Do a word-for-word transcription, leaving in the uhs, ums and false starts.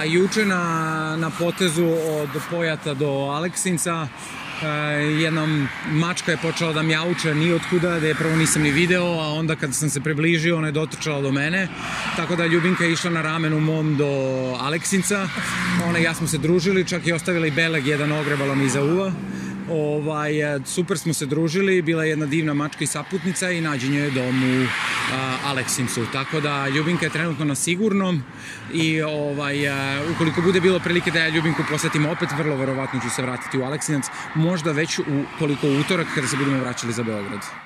Pa juče na, na potezu od Pojata do Aleksinca jedna mačka je počela da mjauče ni otkuda, da je prvo nisam ni video, a onda kad sam se približio ona je dotrčala do mene, tako da Ljubinka je išla na ramenu mom do Aleksinca, ona i ja smo se družili, čak i ostavila i beleg jedan ogrebala mi iza uva. Ovaj, super smo se družili, bila je jedna divna mačka i saputnica i nađen je dom u a, Aleksincu, tako da Ljubinka je trenutno na sigurnom i ovaj, a, ukoliko bude bilo prilike da ja Ljubinku posetim opet, vrlo verovatno ću se vratiti u Aleksinac, možda već u koliko utorak kada se budemo vraćali za Beograd.